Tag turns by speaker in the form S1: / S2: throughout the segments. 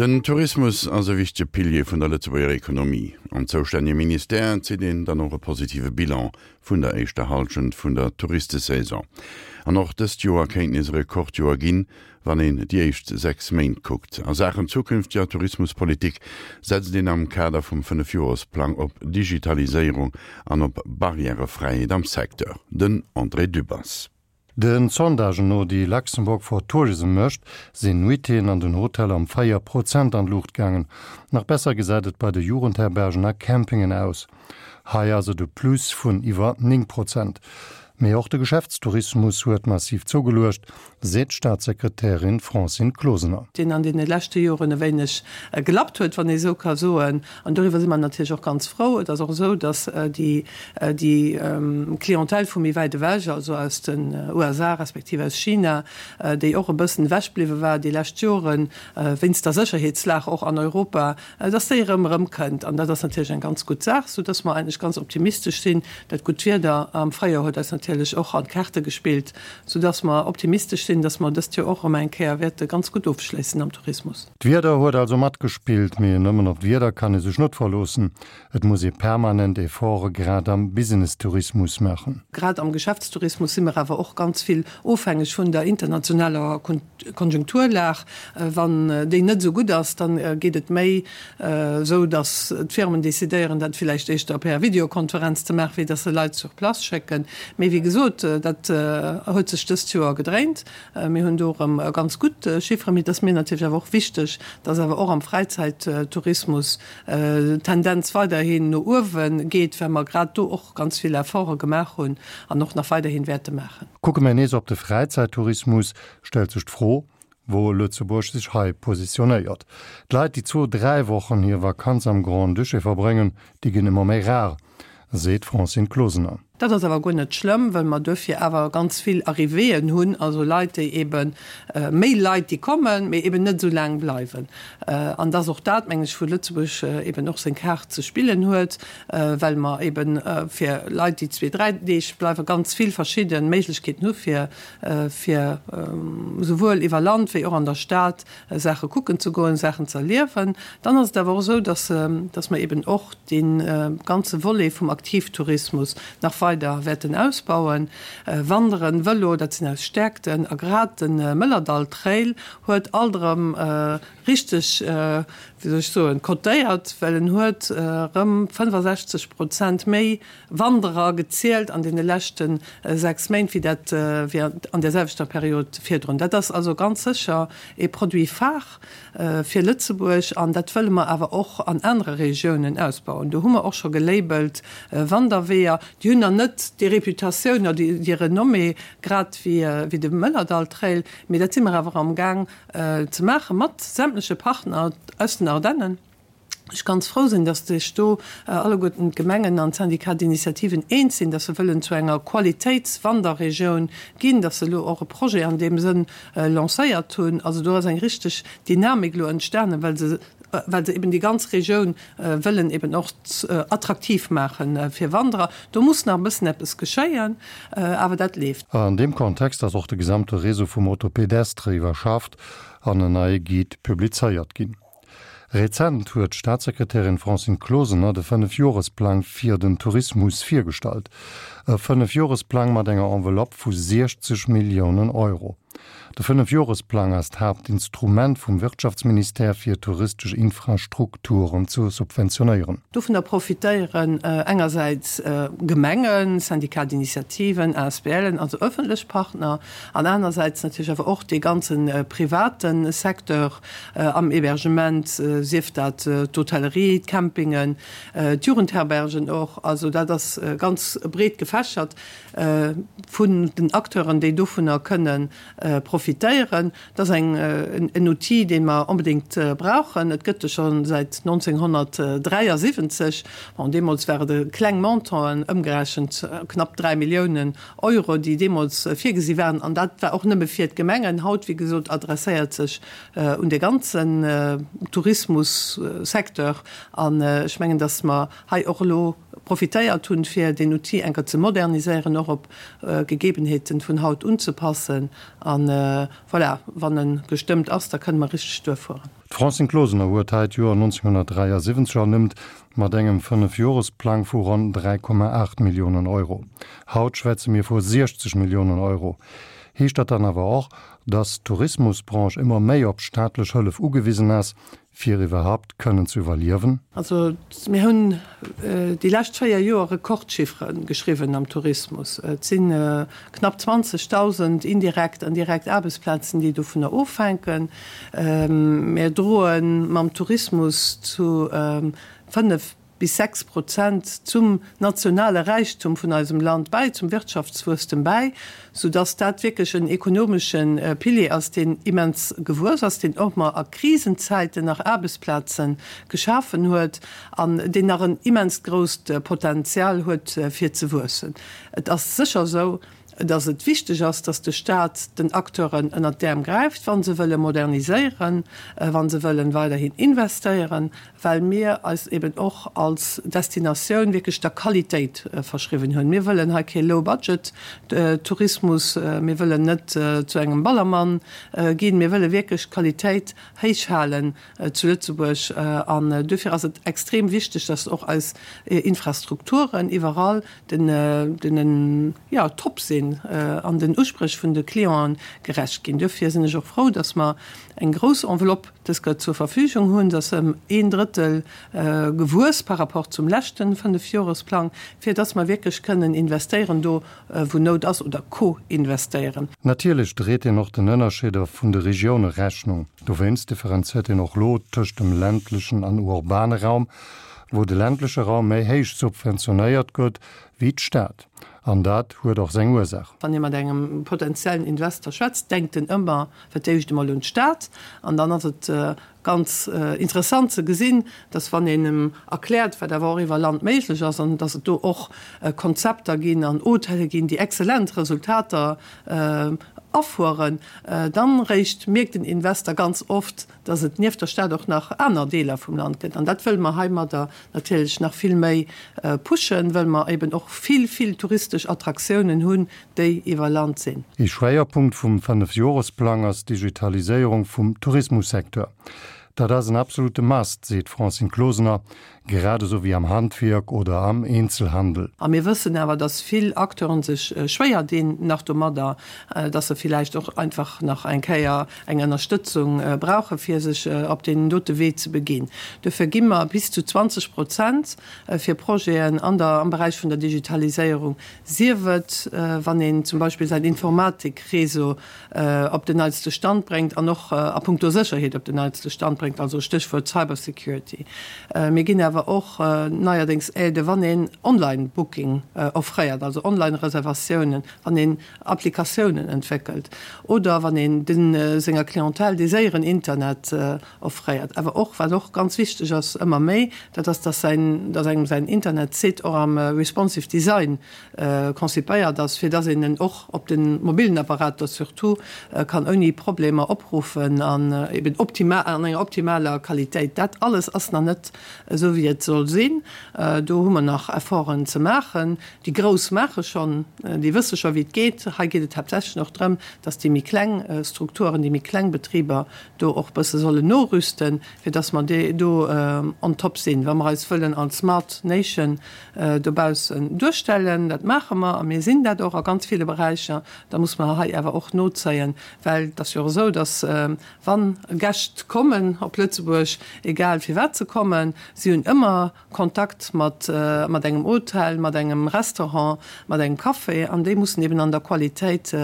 S1: Den Tourismus ass e wichtege Pilier vun der Lëtzebuerger Ekonomie. Am zoustännege Ministère zitt een dann och e positive Bilan vun der éischter Hallschent vun der Touristesaison. An och dëst Joer kéint nees e Rekordjoer ginn, wann een déi éischt 6 Méint kuckt. A Saachen zukünfteger Tourismuspolitik setzt een am Kader vum Fënnefjoresplang op Digitaliséierung an op Barrièrefräiheet am Secteur. Den André Dübbers.
S2: Den Sondagen no, déi Luxembourg for Tourism mécht, sinn Nuitéen an den Hoteller ëm 4 Prozent an d'Luucht gaangen. Nach besser gesäit et bei de Jugendherbergen a Campingen aus. Hei ass et e Plus vun iwwer 9 Prozent. Mee och de Geschäftstourismus huet massiv zougeluecht, seet d'Staatssekretärin Francine Closener.
S3: Deen an deene leschte Joren e wéineg gelappt huet, wann ee esou ka soen. An doriwwer si mer natierlech och ganz frou. Et ass och esou, datt déi Clientèle vu méi wäit ewech, also aus den USA respektiv aus China, déi och e bëssen ewech bliwwe war déi lescht Joren, wéinst der Sécherheetslag och an Europa, dass déi erëm erëmkënnt. An dat ass natierlech eng ganz gutt Saach, soudass mer eigentlech ganz optimistesch sinn. Dat gutt Wieder am Fréijoer huet eis natierlech och an d'Kaarte gespillt, soudass mer optimistesch sinn, dass mer dëst Joer och erëm eng Kéier wäerte ganz gutt ofschléissen am Tourismus.
S2: D'Wieder huet also matgespillt, mee nëmmen op d'Wieder kann ee sech net verloossen. Et muss ee permanent Efforte grad am Business-Tourismus maachen.
S3: Grad am Geschäftstourismus si mer awer och ganz vill ofhängeg vun der internationaler Konjunkturlag. Wann déi net esou gutt ass, da geet et méi esou, datt d'Firmen decidéieren, dat villäicht éischter per Videokonferenz ze maachen, wéi datt se Leit sur place schécken. Mee wéi gesot, dat huet sech dëst Joer gedréint. Mir hunn do erëm ganz gutt Chifferen. Mee et ass mir natierlech awer och wichteg, datt awer och am Fräizäittourismus d'Tendenz weiderhin no uewe geet, well mer grad do och ganz vill Efforte gemaach hunn an och nach weiderhin wäerte maachen.
S2: Kucke mir nees op de Fräizäittourismus, stellt sech d'Fro, wou Lëtzebuerg sech hei positionéiert. D'Leit, déi zwou, dräi Wochen hir Vakanz am Grand-Duché verbréngen, déi ginn ëmmer méi rar, seet d'Francine Closener.
S3: Dat ass awer guer net schlëmm, well mer duerfir awer ganz vill Arrivéeën hunn, also Leit, déi ebe méi Leit, déi kommen, mee eben net esou laang bleiwen. An et ass och dat, mengen ech, wou Lëtzebuerg eben och seng Kaart ze spillen huet, well mer eben fir Leit, déi zwee, dräi Deeg bleiwen, ganz vill verschidde Méiglechkeeten hu fir fir esouwuel iwwer Land wéi och an der Stad Saache kucken ze goen, Saachen ze erliewen. Dann ass et awer och esou, dass, dass mer eben och dee ganze Volet vum Aktivtourismus nach weider wäerten ausbauen. Wanderen, Vëlo, dat sinn eis Stäerkten. A grad de Mëllerdall-Trail huet alt erëm richteg, wéi soll ech soen, cotéiert, well en huet erëm 65 Prozent méi Wanderer gezielt an deene leschte 6 Méint wéi dat wéi an där selwechter Period virdrun. Dat ass also ganz sécher ee Produit phare fir Lëtzebuerg an dat wëlle mer awer och an anere Regiounen ausbauen. Do hu mer och scho gelabelt Wanderweeër. Déi hunn nach net déi Reputatioun oder déi Renommée grad wéi de Mëllerdall-Trail, mee dat si mer awer amgaang ze maache mat sämtleche Partner aus den Ardennen. ech ganz frou sinn, dass sech do alleguerten d'Gemengen an d'Syndicats d'initiativen eens sinn, dass se wëllen zu enger Qualitéitswanderregioun ginn, dass se elo och e Projet an deem Sënn lancéiert hunn. Also do ass eng richteg Dynamik elo entstanen, well se, well se eben déi ganz Regioun wëllen eben och attraktiv maache fir Wanderer. Do muss nach e bëssen eppes geschéien, awer dat leeft.
S2: An deem Kontext ass och de gesamte Réseau vum Autopédestre iwwerschafft an en neie Guide publizéiert ginn. Rezent huet d'Staatssekretärin Francine Closener de Fënnefjoresplang fir den Tourismus virgestallt. E Fënnefjoresplang mat enger Enveloppe vu 60 Milliounen Euro. De Fënnefjoresplang ass d'Haaptinstrument vum Wirtschaftsministère fir touristesch Infrastrukturen ze subventionéieren.
S3: Dovunner profitéieren engersäits Gemengen, Syndicats d'initiativen, ASBLen, also ëffentlech Partner, an anersäits natierlech awer och dee ganze private Secteur am Hébergement, sief dat d'Hotellerie, d'Campingen, d'Jugendherbergen och. Also dat ass ganz breet gefächert vun den Acteuren, déi dovunner kënne profitéieren. Dat ass eng, en Outil, dee mer onbedéngt brauchen. Et gëtt e scho säit 1973. Bon, deemools ware et kleng Montanten, ëmgerechent knapp 3 Milliounen Euro, déi deemools virgesi waren. An dat war och nëmme fir d'Gemengen. Haut, wéi gesot, adresséiert sech un de ganzen Tourismussecteur. An ech mengen, dass mer hei och elo. profitéiert hunn, fir deen Outil eng Kéier ze moderniséieren, och op Gegebenheeten vun haut unzepassen. A voilà, wann e gestëmmt ass, da kënne mer richteg duerfueren.
S2: D'Francine Closener huet hei d'Joer 1973 ernimmt, mat engem Fënnefjoresplang vu ronn 3,8 Milliounen Euro. Haut schwätze mir vu 60 Milliounen Euro. Heescht dat dann awer och, datt d'Tourismusbranche ëmmer méi op staatlech Hëllef ugewisen ass, fir iwwerhaupt kënnen ze iwwerliewen?
S3: Also mir hunn déi lescht 4 Joer Rekordchiffere geschriwwen am Tourismus. Et si knapp 20.000 indirekt an direkt Aarbechtsplazen, déi dovunner ofhänken. Mir droe mam Tourismus zu 5 bis 6 Prozent zum nationale Räichtum vun eisem Land bäi, zum Wirtschaftswuesstem bäi, soudass dat wierklech en ekonomesche Pilier ass, deen immens gewuess ass, deen och mar a Krisenzäiten nach Aarbechtsplaze geschafen huet an deen nach en immenst grousst Potenzial huet fir ze wuessen. Et ass sécher esou, dass et wichteg ass, dass de Stat den Acteuren ënnert d'Äerm gräift, wa se wëlle moderniséieren, wa se wëllen weiderhin investéieren, well mir eis eben och als Destinatioun wierklech der Qualitéit verschriwwen hunn. Mir wëllen hei kee Low-Budget-Tourismus, mir wëllen net zu engem Ballermann ginn, mir wëlle wierklech d'Qualitéit héich halen zu Lëtzebuerg. An duerfir ass et extrem wichteg, dass och eis Infrastrukturen iwwerall den, jo, top sinn an den Uspréch vun de Clienten gerecht ginn. Duerfir sinn ech och frou, dass mer eng grouss Enveloppe dës Kéier zur Verfügung hunn, dass ëm een Drëttel gewuess par rapport zum leschte Fënnefjoresplang, fir dass mer wierklech kënnen investéieren do, wou Nout ass, oder co-investéieren.
S2: Natierlech dréit een och den Ënnerscheeder vun de Regioune Rechnung. Dowéinst differenziert een och lo tëscht dem ländlechen an urbane Raum, wou de ländleche Raum méi héich subventionéiert gëtt wéi d'Stad. An dat huet och seng Ursaach.
S3: Wann ee mat engem potenziellen Investor schwätzt, denkt en ëmmer fir d'éischt emol un d'Stad. An dann ass et ganz interessant ze gesinn, dass wann een em erkläert, wat awer och iwwer Land méiglech ass an dass et do och Konzepter ginn an Hotelle ginn, déi exzellent Resultater afueren, dann réischt mierkt den Investor ganz oft, dass et nieft der Stad och nach aner Deeler vum Land gëtt. An dat wëlle mer heimadder natierlech nach vill méi pushen, wëll mer eben och vill, vill touristesch Attraktiounen hunn, déi iwwer Land sinn.
S2: Ee Schwéierpunkt vum Fënnefjoresplang ass d'Digitaliséierung vum Tourismussecteur. Dat ass en absolute Must, seet d'Francine Closener, grad esou wéi am Handwierk oder am Eenzelhandel.
S3: A mir wëssen awer, dass vill Acteuren sech schwéier dinn nach domadder, dass se villäicht och einfach nach eng Kéier eng Ënnerstëtzung brauche fir sech op deen dote Wee ze beginn. Dofir gi mer bis zu 20 Prozent fir Projeten an der, am Beräich vun der Digitaliséierung, sief et wann een zum Beispill säin Informatikréseau op den neitste Stand bréngt an och a puncto Sécherheet op den neitste Stand bréngt, also Stéchwuert Cybersecurity. Mir ginn awer och neierdéngs Aide wann een Online-Booking offréiert, also Online-Reservatiounen, wann een Applikatiounen entwéckelt oder wann een de senger Clientèle dee séieren Internet offréiert. Awer och, wat och ganz wichteg ass, ëmmer méi, dat ass, dass säin, dass engem säin Internetsite och am responsive Design konzipéiert ass, fir dass een en och op de mobilen Apparater surtout kann ouni Problemer opruffen an eben optimal, an enger optimaler Qualitéit. Dat alles ass nach net esou wéi et soll sinn. Do hu mer nach Efforten ze maachen. Déi Grouss maache schonn, déi wësse scho wéi et geet. Hei geet et haaptsächlech och drëm, dass déi méi kleng Strukturen, déi méi kleng Betriber do och bësse sollen norüsten, fir dass mer do on top sinn, wa mer eis wëllen als Smart Nation dobaussen duerstellen. Dat maache mer a mir sinn dat och a ganz ville Beräicher. Da muss mer hei awer och nozéien, well et ass jo och esou, dass wa Gäscht kommen op Lëtzebuerg, egal firwat se kommen, si hunn ëmmer Kontakt mat mat engem Hotel, mat engem Restaurant, mat engem Café an déi mussen eben an der Qualitéit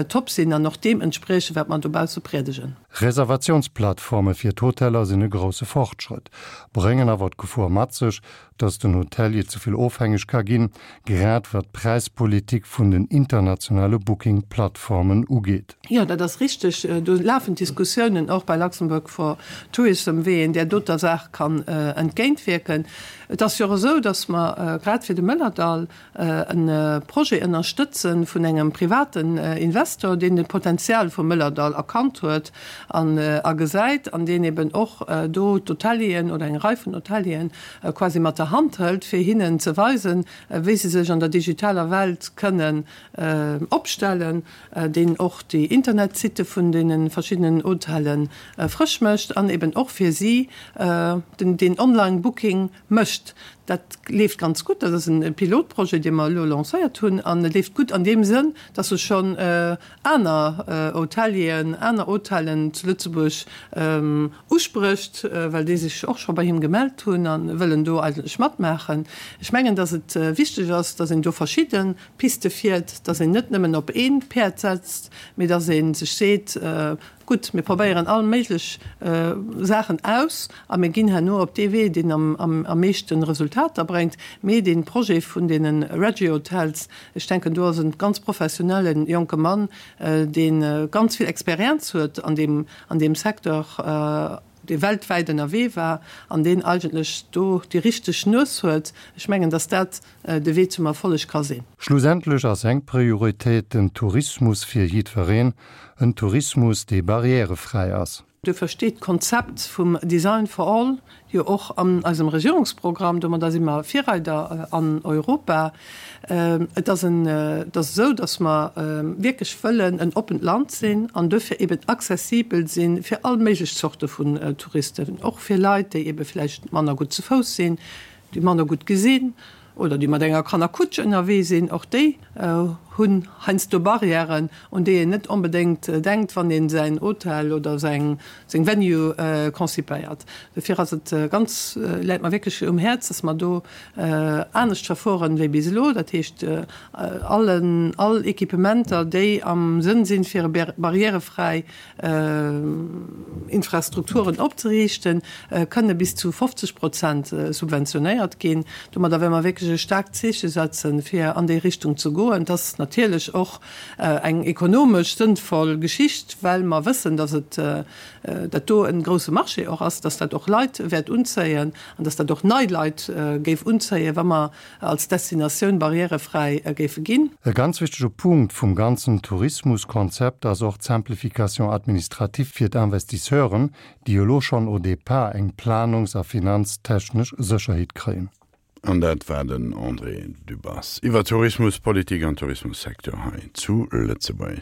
S3: top sinn an och deem entspriechen, wat mer dobausse priedegen.
S2: Reservatiounsplattforme fir d'Hoteller sinn e grousse Fortschrëtt, bréngen awer d'Gefor mat sech, datt den Hotelier ze vill ofhängeg ka ginn, grad wat d'Präispolitik vun den internationale Booking-Plattformen ugeet.
S3: Jo, dat ass richteg. Do lafen d'Diskussiounen och bei Luxembourg for Tourism, wéi een där doter Saach kann entgéintwierken. Et ass jo och esou, datt mer grad fir de Mëllerdall e Projet ënnerstëtze vun engem privaten Investor, deen de Potenzial vum Mëllerdall erkannt huet. an a gesäit an deen eben och do d'Hotelieren oder eng Rei vun Hotelieren quasi mat der Hand hëlt, fir hinnen ze weisen, wéi se sech an der digitaler Welt kënnen opstellen, deen och déi Internetsitte vun deene verschiddenen Hotelle frësch mécht an eben och fir si den deen Online-Booking mécht. Dat leeft ganz gutt. Dat ass e Pilotprojet, dee mer elo lancéiert hunn an e leeft gutt an deem Sënn, dass e schonn aner Hotelieren, aner Hotellen zu Lëtzebuerg usprécht, well déi sech och scho bei him gemellt hunn a wëllen do eigentlech matmaachen. Ech mengen, dass et wichteg ass, dass een do verschidde Piste fiert, dass een net nëmmen op ee Päerd setzt, mee dass ee sech seet, Gutt, mir probéieren all méiglech Saachen aus a mir ginn herno op dee Wee, deen am meeschte Resultater bréngt. Mee dee Projet vun deene Regio-Hotels, ech denken, do ass e ganz professionelle jonke Mann, dee ganz vill Experienz huet an deem Secteur, dee weltwäit ënnerwee war an deen eigentlech do déi richteg Nues huet. Ech mengen, datt dat de Wee zum Erfolleg ka sinn.
S2: Schlussendlech ass eng Prioritéit den Tourismus fir jiddwereen, en Tourismus, dee barrièrefräi ass.
S3: Duerfir steet d'Konzept vum Design for all jo och an eisem Regierungsprogramm. Domadder si mer Virreider an Europa. Et ass en, et ass esou, datt mer wierklech wëllen en oppent Land sinn an duerfir eben accessibel si fir all méiglech Zorte vun Touristen, och fir Leit, déi ebe vläicht manner gutt ze Fouss sinn, déi manner gutt gesinn oder déi mat enger Kannerkutsch ënnerwee sinn, och déi hunn heiansdo Barrièren, un déi een net onbedéngt denkt, wann ee säin Hotel oder seng Venue concipéiert. Dofir ass et ganz, läit mer wierklech um Häerz, dass mer do anescht verfueren wéi bis elo. Dat heescht, allen, all Equipementer, déi am Sënn sinn, fir e barrièrefräi Infrastrukturen opzeriichten, kënne bis zu 50 Prozent subventionéiert ginn. Domadder wëlle mer wierklech e staarkt Zeeche setzen, fir an déi Richtung ze goen. Et ass natierlech och eng ekonomesch sënnvoll Geschicht, well mer wëssen, datt et dat do e grousse Marché och ass, datt dat och Leit wäert unzéien an datt dat och nei Leit géif unzéien, wa mer als Destinatioun barrièrefräi géife ginn.
S2: E ganz wichtege Punkt vum ganzen Tourismuskonzept ass och d'Simplification administrative fir d'Investisseuren, déi elo schonn au départ eng planungs a finanztechnesch Sécherheet kréien.
S1: An dat war den André Dübbers iwwer Tourismuspolitik an Tourismussecteur hei zu Lëtzebuerg.